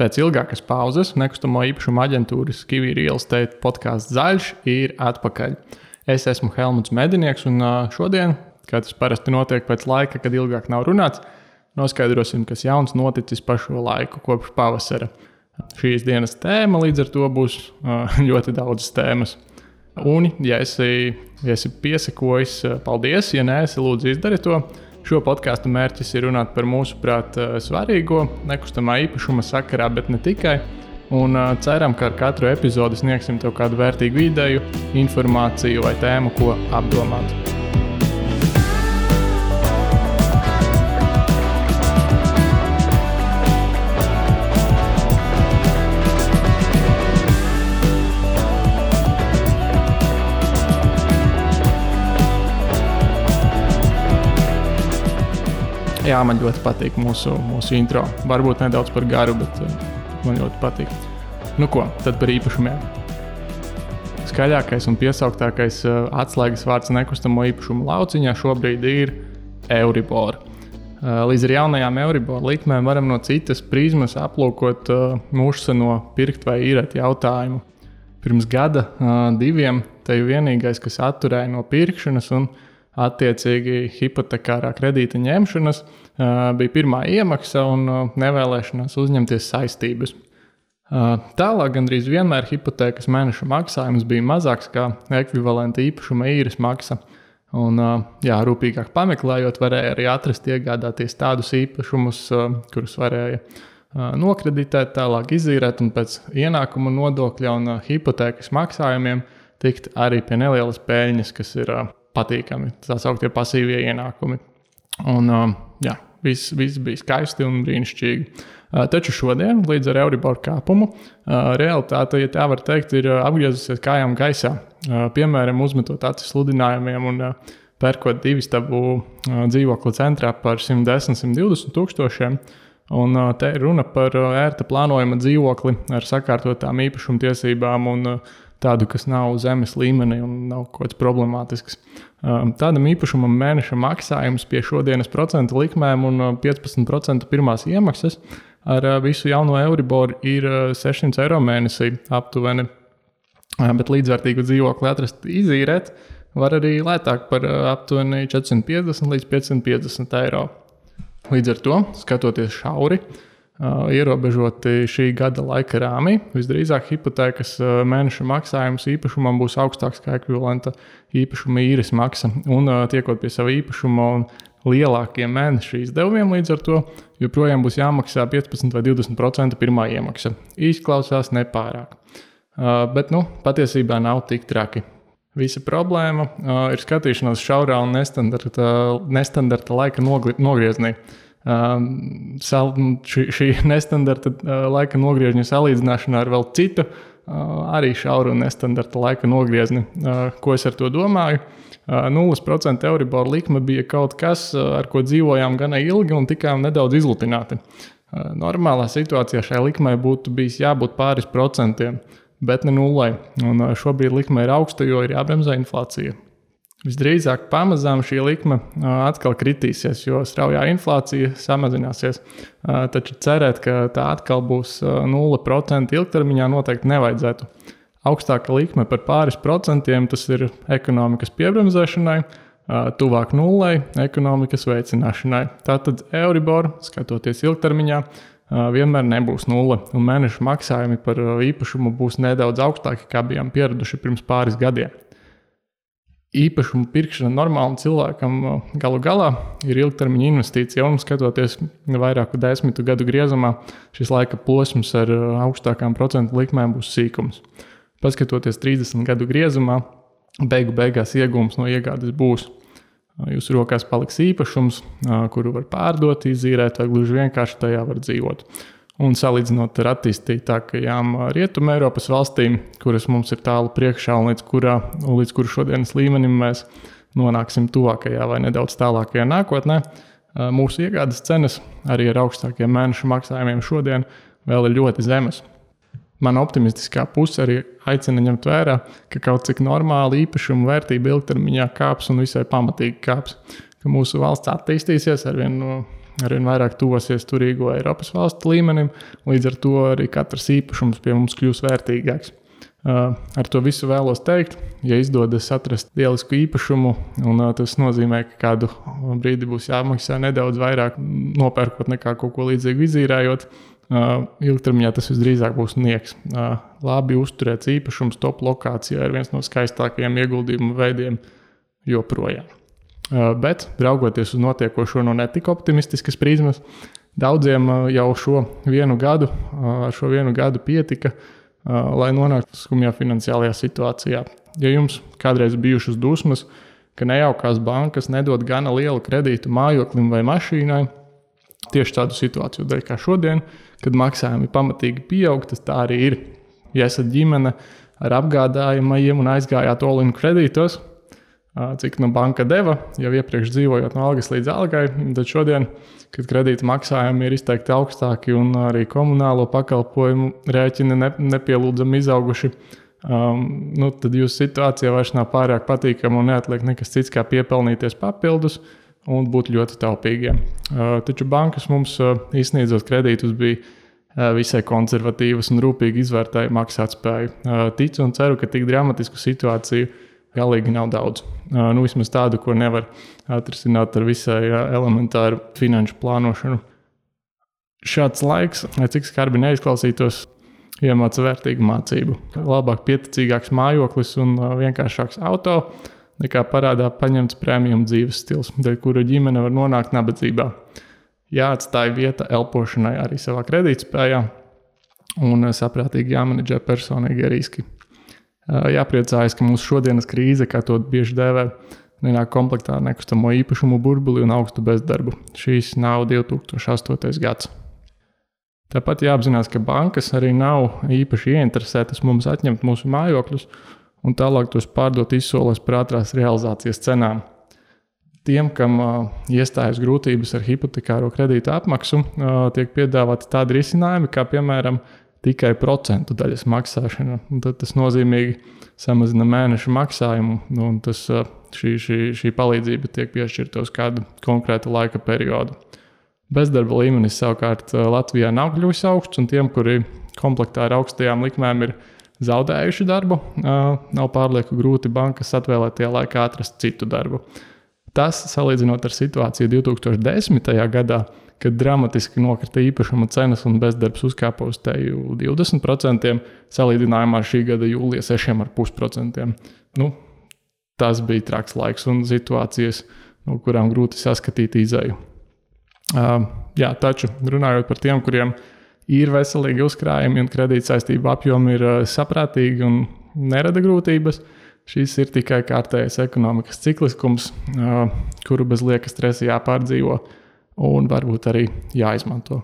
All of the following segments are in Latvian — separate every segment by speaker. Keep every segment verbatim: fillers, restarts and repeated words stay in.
Speaker 1: Pēc ilgākas pauzes nekustamo īpašumu aģentūras Kiwi Real Estate podcasts Zaļš ir atpakaļ. Es esmu Helmuts Medinieks un šodien, kā tas parasti notiek pēc laika, kad ilgāk nav runāts, noskaidrosim, kas jauns noticis pa šo laiku kopš pavasara. Šīs dienas tēma līdz ar to būs ļoti daudzas tēmas. Un, ja esi, ja esi piesakojis, paldies, ja neesi, lūdzu izdari to. Šo podcastu mērķis ir runāt par mūsuprāt svarīgo nekustamā īpašuma sakarā, bet ne tikai. Un ceram, ka ar katru epizodi sniegsim tev kādu vērtīgu ideju, informāciju vai tēmu, ko apdomāt. Jā, man ļoti patīk mūsu, mūsu intro. Varbūt nedaudz par garu, bet man ļoti patīk. Nu ko, tad par īpašumiem. Skaļākais un piesauktākais atslēgas vārds nekustamo īpašumu lauciņā šobrīd ir Euribor. Līdz ar jaunajām Euribor likmēm varam no citas prizmas aplūkot mūžseno pirkt vai īrēt jautājumu. Pirms gada, diviem, te ir vienīgais, kas atturēja no pirkšanas un attiecīgi hipotekārā kredīta ņemšanas, bija pirmā iemaksa un nevēlēšanās uzņemties saistības. Tālāk gandrīz vienmēr hipotēkas mēneša maksājums bija mazāks kā ekvivalenta īpašuma īres maksa. Un, jā, rūpīgāk pameklējot, varēja arī atrast iegādāties tādus īpašumus, kurus varēja nokreditēt, tālāk izīrēt un pēc ienākuma nodokļa un hipotēkas maksājumiem tikt arī pie nelielas peļņas, kas ir patīkami, tā sauktie pasīvie ienākumi. Un, jā, viss, viss bija skaisti un brīnišķīgi. Taču šodien, līdz ar Euribor kāpumu, realitāte, ja tā var teikt, ir apgriezusies kājām gaisā. Piemēram, uzmetot acis sludinājumiem un pērkot divistabu dzīvokli centrā par simt desmit līdz simt divdesmit tūkstošiem. Un te ir runa par ērta plānojama dzīvokli ar sakārtotām īpašumtiesībām un tādu, kas nav zemes līmenī un nav kaut kāds problemātisks. Tādam īpašumam mēneša maksājums pie šodienas procentu likmēm un piecpadsmit procentu pirmās iemaksas ar visu jauno Euribor ir sešsimt eiro mēnesī aptuveni. Bet līdzvērtīgu dzīvokli atrast izīrēt var arī lētāk par aptuveni četrsimt piecdesmit līdz piecsimt piecdesmit eiro. Līdz ar to, skatoties šauri, Uh, ierobežoti šī gada laika rāmī, visdrīzāk hipotēkas uh, mēneša maksājums īpašumam būs augstāks kā ekvivalenta īpašuma īres maksa. Un uh, tiekot pie sava īpašuma un lielākiem mēneša izdevumiem līdz ar to, joprojām būs jāmaksā piecpadsmit vai divdesmit procenti pirmā iemaksa. Izklausās nepārāk. Uh, bet, nu, patiesībā nav tik traki. Visa problēma uh, ir skatīšanās šaurā un nestandarta, nestandarta laika nogri, nogrieznī. Uh, sal, šī, šī nestandarta uh, laika nogriežņa salīdzināšanā ar vēl citu, uh, arī šauru un nestandarta laika nogriezni. Uh, ko es ar to domāju? Uh, nulle procenti Euribor likme bija kaut kas, uh, ar ko dzīvojām gana ilgi un tikām nedaudz izlutināti. Uh, normālā situācijā šai likmei būtu bijis jābūt pāris procentiem, bet ne nullei. Un uh, šobrīd likme ir augsta, jo ir jābremzē inflācija. Visdrīzāk pamazām šī likme atkal kritīsies, jo straujā inflācija samazināsies. Taču cerēt, ka tā atkal būs nulle procenti ilgtermiņā noteikti nevajadzētu. Augstāka likme par pāris procentiem tas ir ekonomikas piebremzēšanai, tuvāk nullei ekonomikas veicināšanai. Tātad Euribor, skatoties ilgtermiņā, vienmēr nebūs nulle, un mēneša maksājumi par īpašumu būs nedaudz augstāki, kā bijām pieraduši pirms pāris gadiem. Īpašumu pirkšana normālam cilvēkam galu galā ir ilgtermiņa investīcija, un skatoties vairāku desmitu gadu griezumā, šis laika posms ar augstākām procentu likmēm būs sīkums. Paskatoties trīsdesmit gadu griezumā, beigu beigās iegūms no iegādes būs. Jūsu rokās paliks īpašums, kuru var pārdot, izīrēt vai gluži vienkārši tajā var dzīvot. Un salīdzinot ar attīstītākajām Rietumē Eiropas valstīm, kuras mums ir tālu priekšā un līdz, kurā, un līdz kuru šodienas līmenim mēs nonāksim tuvākajā vai nedaudz tālākajā nākotnē, mūsu iegādes cenas arī ar augstākiem mēneša maksājumiem šodien vēl ir ļoti zemes. Mana optimistiskā puse arī aicina ņemt vērā, ka kaut cik normāli īpašumu vērtība ilgtermiņā kāps un visai pamatīgi kāps, ka mūsu valsts attīstīsies arvien arvien vairāk tuvosies turīgo Eiropas valstu līmenim, līdz ar to arī katrs īpašums pie mums kļūs vērtīgāks. Ar to visu vēlos teikt, ja izdodas atrast lielisku īpašumu, un tas nozīmē, ka kādu brīdi būs jāmaksā nedaudz vairāk nopērkot nekā kaut ko līdzīgu izīrējot, ilgtermiņā tas visdrīzāk būs nieks. Labi uzturēts īpašums top lokācijā ir viens no skaistākajiem ieguldījumu veidiem joprojām. Bet, raugoties uz notiekošo no netik optimistiskas prizmas, daudziem jau šo vienu gadu, ar šo vienu gadu pietika, lai nonāktu skumjā finansiālajā situācijā. Ja jums kādreiz bijušas dusmas, ka nejaukās bankas nedod gana lielu kredītu mājoklim vai mašīnai, tieši tādu situāciju dēļ kā šodien, kad maksājumi pamatīgi pieaug, tas tā arī ir. Ja esat ģimene ar apgādājumajiem un aizgājāt all-in kredītos, cik no banka deva, jau iepriekš dzīvojot no algas līdz algai, tad šodien, kad kredīta maksājumi ir izteikti augstāki un arī komunālo pakalpojumu rēķini ne, nepielūdzami izauguši, um, nu, tad jūsu situācija vairs nav pārāk patīkama un neatliek nekas cits kā piepelnīties papildus un būt ļoti taupīgiem. Uh, taču bankas mums uh, izsniedzot kredītus bija uh, visai konservatīvas un rūpīgi izvērtēja maksātspēju. Uh, ticu un ceru, ka tik dramatisku situāciju galīgi nav daudz. Uh, nu, vismaz tādu, ko nevar atrisināt ar visai uh, elementāru finanšu plānošanu. Šāds laiks, cik skarbi neizklausītos, iemāca vērtīgu mācību. Labāk pieticīgāks mājoklis un uh, vienkāršāks auto, nekā parādā paņemts premium dzīves stils, dēļ kura ģimene var nonākt nabadzībā. Jāatstāja vieta elpošanai arī savā kredītspējā un saprātīgi jāmenedžē personīgie riski. Jāpriecājas, ka mūsu šodienas krīze, kā to bieži dēvē, nenāk komplektā ar nekustamo īpašumu burbuli un augstu bezdarbu. Šīs nav divi tūkstoši astotais gads. Tāpat jāapzinās, ka bankas arī nav īpaši ieinteresētas mums atņemt mūsu mājokļus, un tālāk tos pārdot izsolēs par ātrās realizācijas cenām. Tiem, kam uh, iestājas grūtības ar hipotekāro kredītu apmaksu, uh, tiek piedāvāti tādi risinājumi, kā piemēram tikai procentu daļas maksāšana. Un tad tas nozīmīgi samazina mēneša maksājumu, un tas, uh, šī, šī, šī palīdzība tiek piešķirta uz kādu konkrētu laika periodu. Bezdarba līmenis savukārt uh, Latvijā nav kļuvis augsts, un tiem, kuri komplektā ar augstajām likmēm ir zaudējuši darbu, nav pārlieku grūti bankas atvēlētajā laikā atrast citu darbu. Tas, salīdzinot ar situāciju divi tūkstoši desmitajā gadā, kad dramatiski nokrita īpašuma cenas un bezdarbs uzkāpa uz teju divdesmit procentiem, salīdzinājumā ar šī gada jūlija seši komats pieci procenti. Nu, tas bija traks laiks un situācijas, no kurām grūti saskatīt izēju. Uh, jā, taču runājot par tiem, kuriem ir veselīgi uzkrājumi un kredītsaistību apjomi ir saprātīgi un nerada grūtības. Šis ir tikai kārtējais ekonomikas cikliskums, kuru bez lieka stresa jāpārdzīvo un varbūt arī jāizmanto.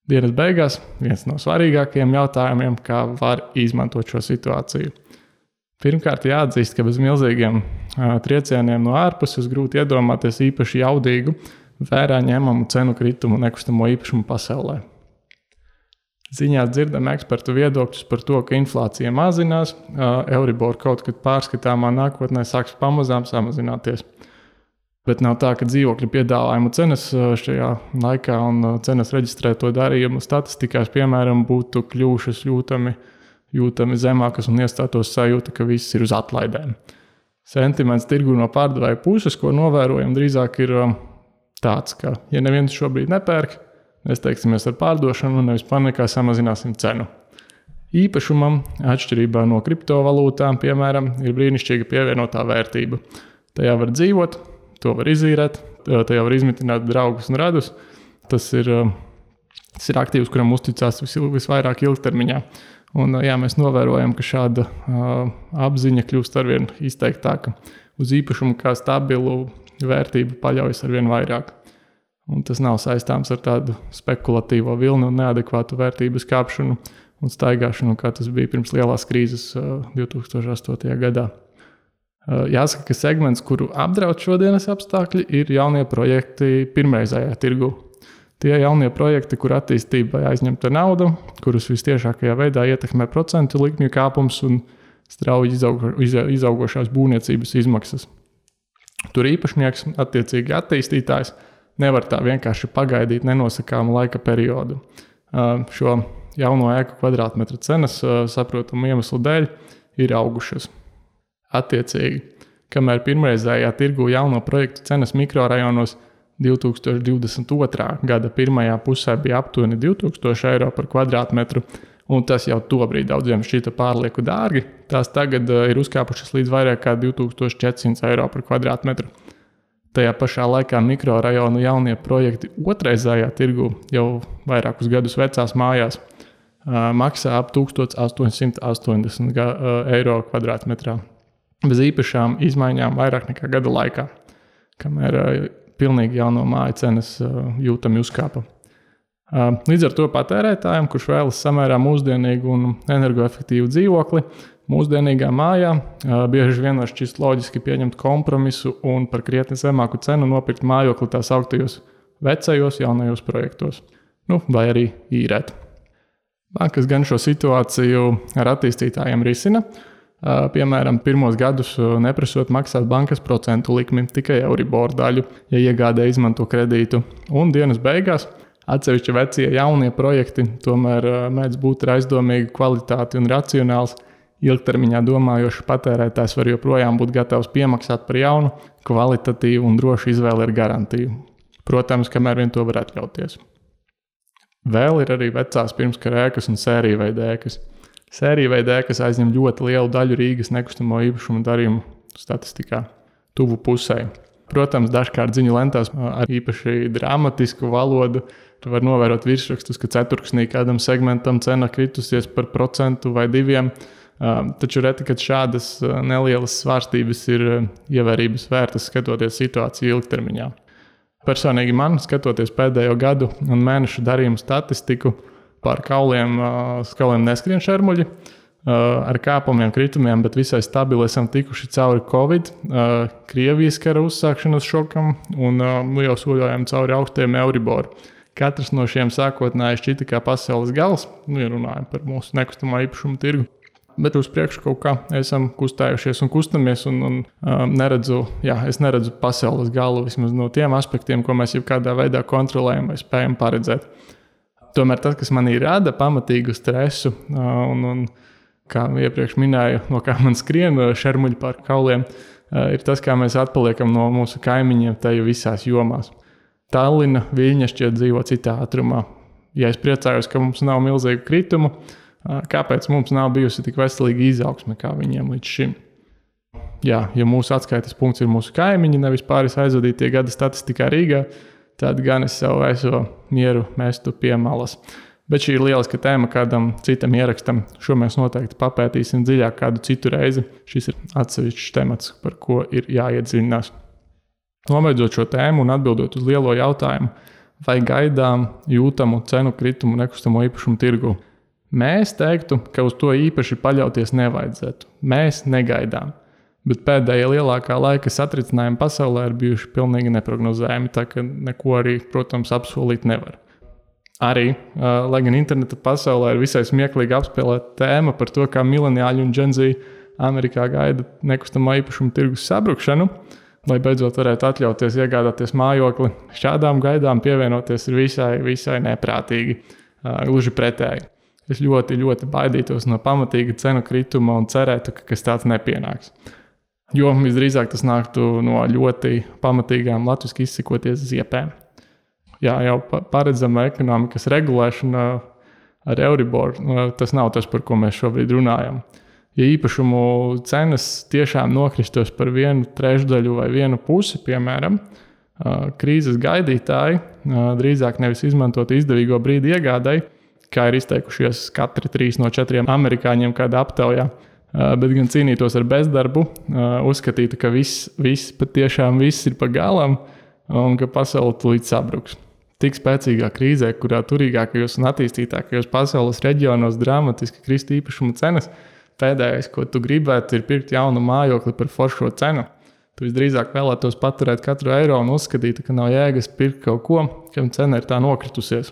Speaker 1: Dienas beigās viens no svarīgākajiem jautājumiem, kā var izmantot šo situāciju. Pirmkārt, jāatzīst, ka bez milzīgiem triecieniem no ārpuses grūti iedomāties īpaši jaudīgu, vērā ņemamu cenu kritumu nekustamo īpašumu pasaulē. Ziņās dzirdam ekspertu viedokļus par to, ka inflācija mazinās, Euribor kaut kad pārskatāmā nākotnē sāks pamazām samazināties. Bet nav tā, ka dzīvokļu piedāvājumu cenas šajā laikā un cenas reģistrēto darījumu statistikās, piemēram, būtu kļuvušas jūtami, jūtami zemākas un iestātos sajūta, ka viss ir uz atlaidēm. Sentiments tirgu no pārdevēja puses, ko novērojam, drīzāk ir tāds, ka ja neviens šobrīd nepērk, mēs teiksimies ar pārdošanu un nevis panikā samazināsim cenu. Īpašumam, atšķirībā no kriptovalūtām, piemēram, ir brīnišķīga pievienotā vērtība. Tajā var dzīvot, to var izīrēt, tajā var izmitināt draugus un radus. Tas ir, tas ir aktīvs, kuram uzticās vis, visvairāk ilgtermiņā. Un, jā, mēs novērojam, ka šāda uh, apziņa kļūst arvien izteiktāka. Uz īpašumu kā stabilu vērtību paļaujas arvien vairāk. Un tas nav saistāms ar tādu spekulatīvo vilni un neadekvātu vērtības kāpšanu un staigāšanu, kā tas bija pirms lielās krīzes uh, divi tūkstoši astotajā gadā. Uh, jāsaka, ka segments, kuru apdraud šodienas apstākļi, ir jaunie projekti pirmreizējā tirgu. Tie jaunie projekti, kur attīstībai aizņemta nauda, kurus vistiešākajā veidā ietekmē procentu likmju kāpums un strauji izaugo, izaugošās būvniecības izmaksas. Tur īpašnieks, attiecīgi attīstītājs, nevar tā vienkārši pagaidīt nenosakāmu laika periodu. Šo jauno ēku kvadrātmetra cenas, saprotamu iemeslu dēļ, ir augušas. Attiecīgi, kamēr pirmreizējā tirgu jauno projektu cenas mikrorajonos divi tūkstoši divdesmit otrā gada pirmajā pusē bija aptuveni divi tūkstoši eiro par kvadrātmetru, un tas jau tobrīd daudziem šķita pārlieku dārgi, tās tagad ir uzkāpušas līdz vairāk kā divi tūkstoši četri simti eiro par kvadrātmetru. Tajā pašā laikā mikrorajonu jaunie projekti otrreizējā tirgu jau vairākus gadus vecās mājās maksā ap tūkstoš astoņsimt astoņdesmit eiro kvadrātmetrā. Bez īpašām izmaiņām vairāk nekā gada laikā, kamēr pilnīgi jauno māju cenas jūtami uzkāpa. Līdz ar to patērētājiem, kurš vēlas samērā mūsdienīgu un energoefektīvu dzīvokli, mūsdienīgā mājā bieži vien var šķist loģiski pieņemt kompromisu un par krietni zemāku cenu nopirkt mājokli tās augtajos vecajos jaunajos projektos, nu, vai arī īrēt. Bankas gan šo situāciju ar attīstītājiem risina, piemēram, pirmos gadus neprasot maksāt bankas procentu likmi, tikai Euribor daļu, ja iegādē izmanto kredītu. Un dienas beigās atsevišķi vecie jaunie projekti tomēr mēdz būt ar aizdomīgu kvalitāti un racionāls. Ilgtermiņā domājošs patērētājs var joprojām būt gatavs piemaksāt par jaunu, kvalitatīvu un drošu izvēli ar garantiju. Protams, kamēr vien to var atļauties. Vēl ir arī vecās pirmskara ēkas un sēriju veida ēkas. Sērija veida ēkas aizņem ļoti lielu daļu Rīgas nekustamo īpašumu darījumu statistikā, tuvu pusē. Protams, dažkārt ziņu lentās ar īpaši dramatisku valodu var novērot virsrakstus, ka ceturksnī kādam segmentam cena kritusies par procentu vai diviem, taču reti, kad šādas nelielas svārstības ir ievērības vērtas skatoties situāciju ilgtermiņā. Personīgi man, skatoties pēdējo gadu un mēnešu darījumu statistiku, pār kauliem, kauliem neskrien šermuļi, ar kāpumiem, kritumiem, bet visai stabili esam tikuši cauri Covid, Krievijas kara uzsākšanas šokam un jau soļojam cauri augstiem Euribor. Katrs no šiem sākotnēji šķita kā pasaules gals, nu, ja runājam par mūsu nekustamā īpašumu tirgu. Bet uz priekšu kaut kā esam kustējušies un kustamies un, un um, neredzu, jā, es neredzu pasaules galu vismaz no tiem aspektiem, ko mēs jau kādā veidā kontrolējam vai spējam paredzēt. Tomēr tas, kas manī rada pamatīgu stresu un, un kā iepriekš minēju, no kā man skrien šermuļi pār kauliem, ir tas, kā mēs atpaliekam no mūsu kaimiņiem teju visās jomās. Tallina, Viļņa šķiet dzīvo citā ātrumā. Ja es priecājos, ka mums nav milzīgu kritumu, kāpēc mums nav bijusi tik veselīga izaugsme kā viņiem līdz šim? Jā, ja mūsu atskaites punkts ir mūsu kaimiņi, nevis pāris aizvadītie gada statistikā Rīgā, tad gan es savu eso mieru mestu pie malas. Bet šī ir lieliska tēma kādam citam ierakstam. Šo mēs noteikti papētīsim dziļāk kādu citu reizi. Šis ir atsevišķs temats, par ko ir jāiedziļinās. Nobeidzot šo tēmu un atbildot uz lielo jautājumu, vai gaidām jūtamu cenu kritumu nekustamo īpašumu tirgu, mēs teiktu, ka uz to īpaši paļauties nevajadzētu. Mēs negaidām. Bet pēdējie lielākā laika satricinājumi pasaulē ir bijuši pilnīgi neprognozējami, tā ka neko arī, protams, apsolīt nevar. Arī, lai gan interneta pasaulē ir visai smieklīgi apspēlēta tēma par to, kā mileniāļi un Gen Z Amerikā gaida nekustamā īpašuma tirgus sabrukšanu, lai beidzot varētu atļauties iegādāties mājokli, šādām gaidām pievienoties ir visai, visai neprātīgi, gluži pretēji. Es ļoti, ļoti baidītos no pamatīga cenu krituma un cerētu, ka kas tāds nepienāks. Jo visdrīzāk tas nāktu no ļoti pamatīgām latviski izsakoties ziepēm. Jā, jau paredzama ekonomikas regulēšana ar Euribor, tas nav tas, par ko mēs šobrīd runājam. Ja īpašumu cenas tiešām nokristos par vienu trešdaļu vai vienu pusi, piemēram, krīzes gaidītāji drīzāk nevis izmantot izdevīgo brīdi iegādai, kā ir izteikušies katri trīs no četriem amerikāņiem kādā aptaujā, bet gan cīnītos ar bezdarbu, uzskatītu, ka viss, viss patiešām viss ir pa galam un ka pasaule tūlīt sabruks. Tik spēcīgā krīzē, kurā turīgākajos un attīstītākajos pasaules reģionos dramatiski krist īpašuma cenas, pēdējais, ko tu gribētu, ir pirkt jaunu mājokli par foršo cenu. Tu visdrīzāk vēlētos paturēt katru eiro un uzskatītu, ka nav jēgas pirkt kaut ko, kam cena ir tā nokritusies.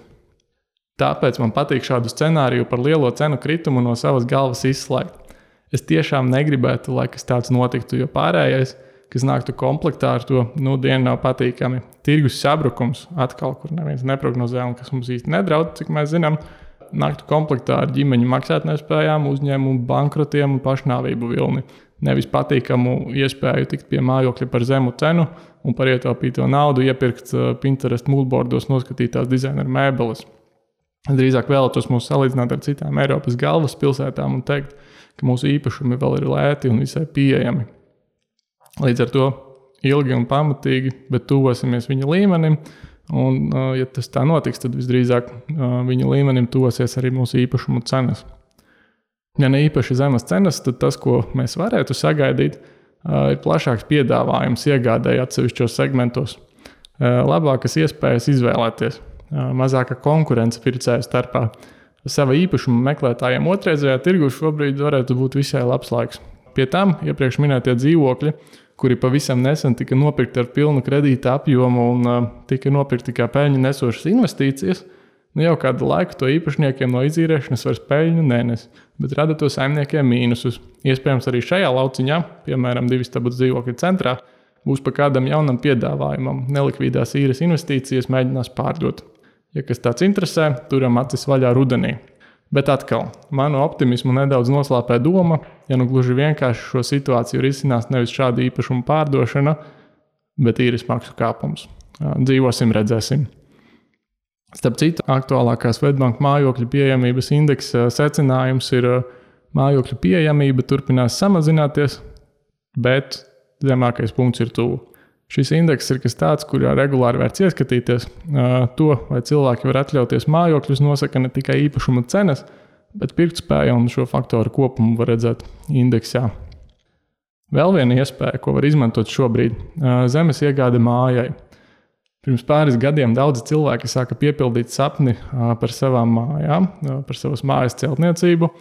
Speaker 1: Tāpēc man patīk šādu scenāriju par lielo cenu kritumu no savas galvas izslēgt. Es tiešām negribētu, lai kas tāds notiktu, jo pārējais, kas nāktu komplektā ar to, nu, dienu nav patīkami. Tirgus sabrukums atkal, kur neviens neprognozē un kas mums īsti nedraud, cik mēs zinām, nāktu komplektā ar ģimeņu maksātnespējām, uzņēmumu bankrotiem un pašnāvību vilni. Nevis patīkamu iespēju tikt pie mājokļa par zemu cenu un par ietaupīto naudu iepirkt Pinterest moodboardos noskatītās dizaineru mēbeles. Es drīzāk vēlētos mūs salīdzināt ar citām Eiropas galvaspilsētām un teikt, ka mūsu īpašumi vēl ir lēti un visai pieejami. Līdz ar to ilgi un pamatīgi, bet tuvosimies viņa līmenim, un, ja tas tā notiks, tad visdrīzāk viņa līmenim tuvosies arī mūsu īpašumu cenas. Ja ne īpaši zemes cenas, tad tas, ko mēs varētu sagaidīt, ir plašāks piedāvājums iegādēji atsevišķos segmentos, labākas iespējas izvēlēties, mazāka konkurence pircēju starpā. Sava īpašuma meklētājiem otrreizējā tirgu šobrīd varētu būt visai labs laiks. Pie tam iepriekš minētie dzīvokļi, kuri pavisam nesen tika nopirkti ar pilnu kredīta apjomu un uh, tika nopirkti kā peļņu nesošas investīcijas, nu jau kādu laiku to īpašniekiem no izīrēšanas vairs peļņu nenes, bet rada to saimniekiem mīnusus. Iespējams arī šajā lauciņā, piemēram, divistabu dzīvokļu centrā, būs pa kādam jaunam piedāvājumam, nelikvīdās īres investīcijas mēģinās pārdot. Ja kas tāds interesē, turam acis vaļā rudenī. Bet atkal, manu optimismu nedaudz noslāpē doma, ja nu gluži vienkārši šo situāciju risinās nevis šāda īpašuma pārdošana, bet īres maksu kāpums. Dzīvosim, redzēsim. Starp citu, aktuālākā Swedbank mājokļu pieejamības indeksa secinājums ir mājokļu pieejamība turpinās samazināties, bet zemākais punkts ir tuvu. Šis indeks ir kas tāds, kurā regulāri vērts ieskatīties. To, vai cilvēki var atļauties mājokļus, nosaka ne tikai īpašuma cenas, bet pirktspēja un šo faktoru kopumu var redzēt indeksā. Vēl viena iespēja, ko var izmantot šobrīd – zemes iegāde mājai. Pirms pāris gadiem daudzi cilvēki sāka piepildīt sapni par savām mājām, par savas mājas celtniecību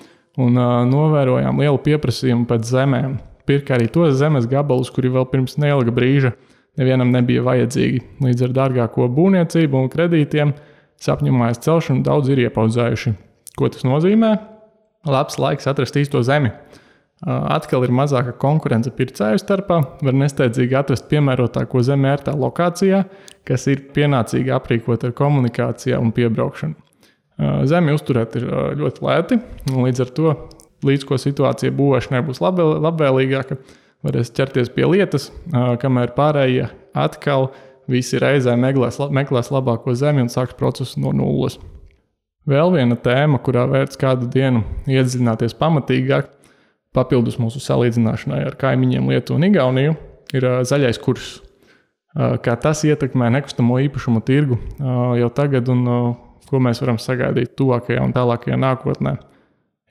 Speaker 1: un novērojām lielu pieprasījumu pēc zemēm. Pirka arī tos zemes gabalus, kuri vēl pirms neilga brīža nevienam nebija vajadzīgi. Līdz ar dārgāko būvniecību un kredītiem sapņu mājas celšanu daudz ir iepaudzējuši. Ko tas nozīmē? Labs laiks atrast īsto zemi. Atkal ir mazāka konkurence pircēju starpā, var nesteidzīgi atrast piemērotāko zemi ērtā lokācijā, kas ir pienācīgi aprīkot ar komunikācijā un piebraukšanu. Zemi uzturēt ir ļoti lēti, un līdz ar to, līdz ko situācija būvēšanai būs labvēlīgāka, varēs ķerties pie lietas, kamēr pārējie atkal visi reizē meklēs, meklēs labāko zemi un sāks procesu no nulles. Vēl viena tēma, kurā vērts kādu dienu iedziļināties pamatīgāk, papildus mūsu salīdzināšanai ar kaimiņiem Lietuvu un Igauniju, ir zaļais kurs. Kā tas ietekmē nekustamo īpašumu tirgu jau tagad un ko mēs varam sagaidīt tuvākajā un tālākajā nākotnē.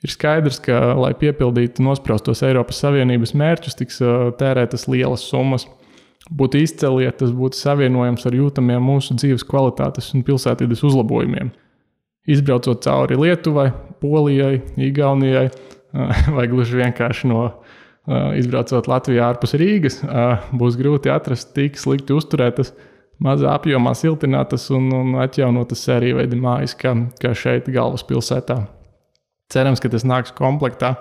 Speaker 1: Ir skaidrs, ka, lai piepildītu nospraustos Eiropas Savienības mērķus, tiks tērētas lielas summas. Būtu izceli, ja tas būtu savienojams ar jūtamiem mūsu dzīves kvalitātes un pilsētvides uzlabojumiem. Izbraucot cauri Lietuvai, Polijai, Igaunijai, vai gluži vienkārši no izbraucot Latvijā ārpus Rīgas, būs grūti atrast tik slikti uzturētas, mazā apjomā siltinātas un, un atjaunotas sērijveida mājas, kā, kā šeit galvaspilsētā. Cerams, ka tas nāks komplektā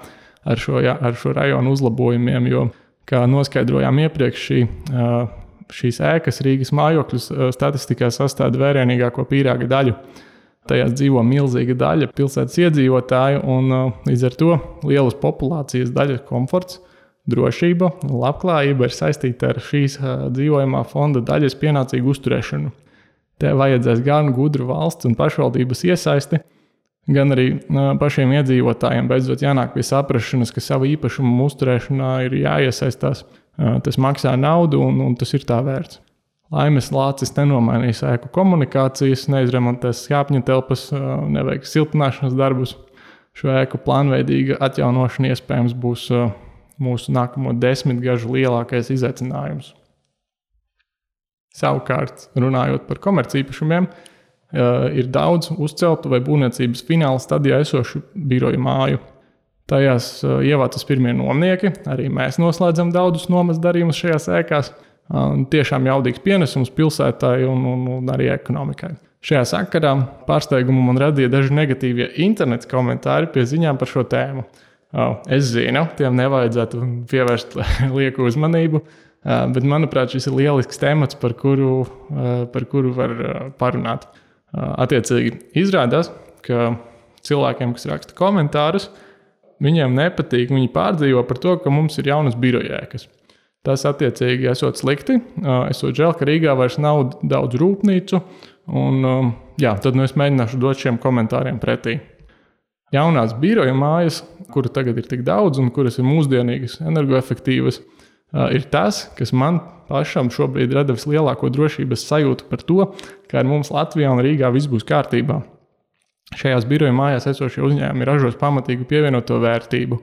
Speaker 1: ar šo, ja, ar šo rajonu uzlabojumiem, jo, kā noskaidrojām iepriekš, šī, šīs ēkas Rīgas mājokļus statistikā sastāda vērienīgāko pīrāga daļu. Tajās dzīvo milzīga daļa pilsētas iedzīvotāju un līdz ar to lielas populācijas daļas komforts, drošība un labklājība ir saistīta ar šīs dzīvojamā fonda daļas pienācīgu uzturēšanu. Te vajadzēs gan gudru valsts un pašvaldības iesaisti, gan arī pašiem iedzīvotājiem beidzot jānāk pie saprašanas, ka savu īpašumu uzturēšanā ir jāiesaistās. Tas maksā naudu un, un tas ir tā vērts. Laimes lācis nenomainīs ēku komunikācijas, neizremontēs skāpņu telpas, neveiks siltināšanas darbus. Šo ēku plānveidīga atjaunošana iespējams būs mūsu nākamo desmitgažu lielākais izaicinājums. Savukārt, runājot par komercīpašumiem, ir daudz uzceltu vai būvniecības fināla stadijā esošu biroju māju. Tajās ievācas pirmie nomnieki, arī mēs noslēdzam daudzus nomas darījumus šajās ēkās. Tiešām jaudīgs pienesums pilsētai un, un, un arī ekonomikai. Šajā sakarā pārsteigumu man radīja daži negatīvie internets komentāri pie ziņām par šo tēmu. Es zinu, tiem nevajadzētu pievērst lieku uzmanību. Bet, manuprāt, šis ir lielisks temats, par kuru, par kuru var parunāt. Attiecīgi, izrādās, ka cilvēkiem, kas raksta komentārus, viņiem nepatīk, viņi pārdzīvo par to, ka mums ir jaunas birojēkas. Tas, attiecīgi, esot slikti. Esot žēl, ka Rīgā vairs nav daudz rūpnīcu, un jā, tad nu es mēģināšu dot šiem komentāriem pretī. Jaunās biroja mājas, kuru tagad ir tik daudz un kuras ir mūsdienīgas, energoefektīvas, ir tas, kas man pašam šobrīd rada vislielāko drošības sajūtu par to, ka ar mums Latvijā un Rīgā viss būs kārtībā. Šajās biroja mājās esošie uzņēmumi ražos pamatīgu pievienoto vērtību,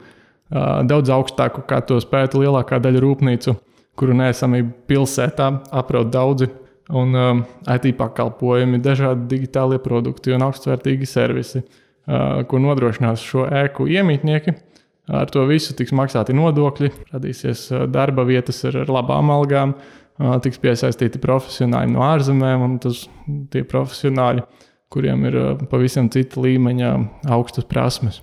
Speaker 1: daudz augstāku, kā to spētu lielākā daļa rūpnīcu, kuru neesamību pilsētā apraud daudzi, un um, I T pakalpojumi, dažādi digitālie produkti un augstsvērtīgi servisi, uh, ko nodrošinās šo ēku iemītnieki. Ar to visu tiks maksāti nodokļi, radīsies uh, darba vietas ar, ar labām algām, uh, tiks piesaistīti profesionāļi no ārzemēm, un tas tie profesionāļi, kuriem ir uh, pavisam cita līmeņa augstas prasmes.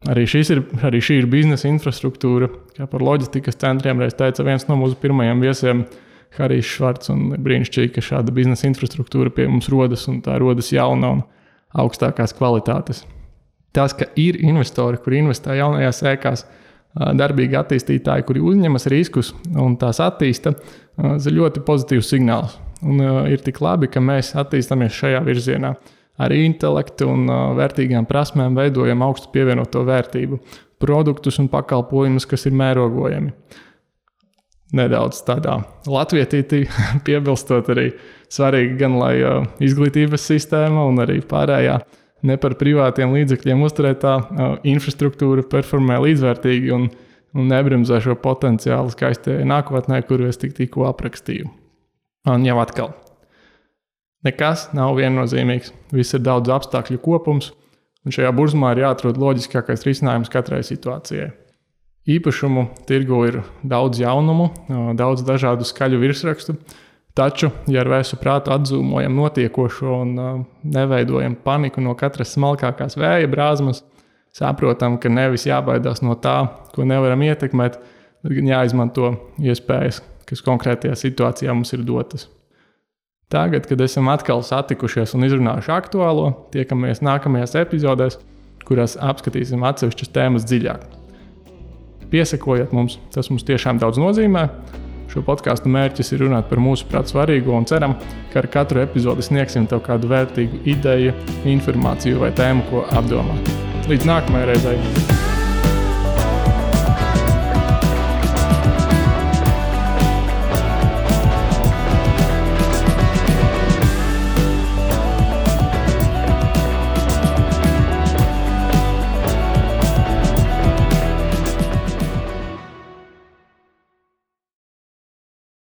Speaker 1: Arī, ir, arī šī ir biznesa infrastruktūra, kā par loģistikas centriem reiz teica viens no mūsu pirmajiem viesiem, Harijs Švarts, un brīnišķīgi, ka šāda biznesa infrastruktūra pie mums rodas, un tā rodas jauna un augstākās kvalitātes. Tas, ka ir investori, kuri investē jaunajās ēkās, darbīgi attīstītāji, kuri uzņemas riskus un tās attīsta, ir ļoti pozitīvs signāls. Un ir tik labi, ka mēs attīstamies šajā virzienā. Ar intelektu un uh, vērtīgām prasmēm veidojam augstu pievienoto vērtību, produktus un pakalpojumus, kas ir mērogojami. Nedaudz tādā latvietītī piebilstot arī svarīgi gan, lai uh, izglītības sistēma un arī pārējā ne par privātiem līdzekļiem uzturētā uh, infrastruktūra performē līdzvērtīgi un, un nebremzē šo potenciālu skaistajai nākotnē, kuru es tik tikko aprakstīju. Un jau atkal. Nekas nav viennozīmīgs, viss ir daudz apstākļu kopums, un šajā burzmā ir jāatrod loģiskākais risinājums katrai situācijai. Īpašumu tirgu ir daudz jaunumu, daudz dažādu skaļu virsrakstu, taču, ja ar vēsu prātu atzūmojam notiekošo un neveidojam paniku no katras smalkākās vēja brāzmas, saprotam, ka nevis jābaidās no tā, ko nevaram ietekmēt, bet gan jāizmanto iespējas, kas konkrētajā situācijā mums ir dotas. Tagad, kad esam atkal satikušies un izrunājuši aktuālo, tiekamies nākamajās epizodēs, kurās apskatīsim atsevišķas tēmas dziļāk. Piesakojiet mums, tas mums tiešām daudz nozīmē. Šo podcastu mērķis ir runāt par mūsu prāt svarīgo un ceram, ka ar katru epizodi sniegsim tev kādu vērtīgu ideju, informāciju vai tēmu, ko apdomāt. Līdz nākamajai reizei!